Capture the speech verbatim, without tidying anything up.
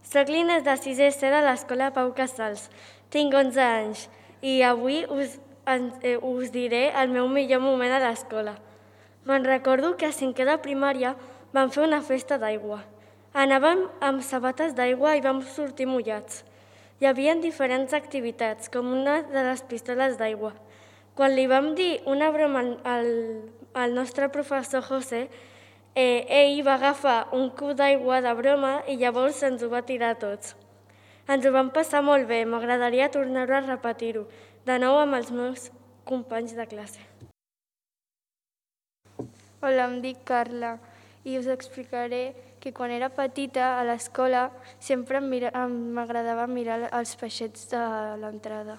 Soc l'Inés de sisè C de l'Escola Pau Casals. Tinc onze anys i avui us, eh, us diré el meu millor moment a l'escola. Me'n recordo que a cinquè de primària vam fer una festa d'aigua. Anàvem amb sabates d'aigua i vam sortir mullats. Hi havia diferents activitats, com una de les pistoles d'aigua. Quan li vam dir una broma al, al nostre professor José, eh, ell va agafar un cub d'aigua de broma i llavors ens ho va tirar a tots. Ens ho vam passar molt bé, m'agradaria tornar-ho a repetir-ho, de nou amb els meus companys de classe. Hola, em dic Carla i us explicaré que quan era petita a l'escola sempre m'agradava mirar els peixets de l'entrada.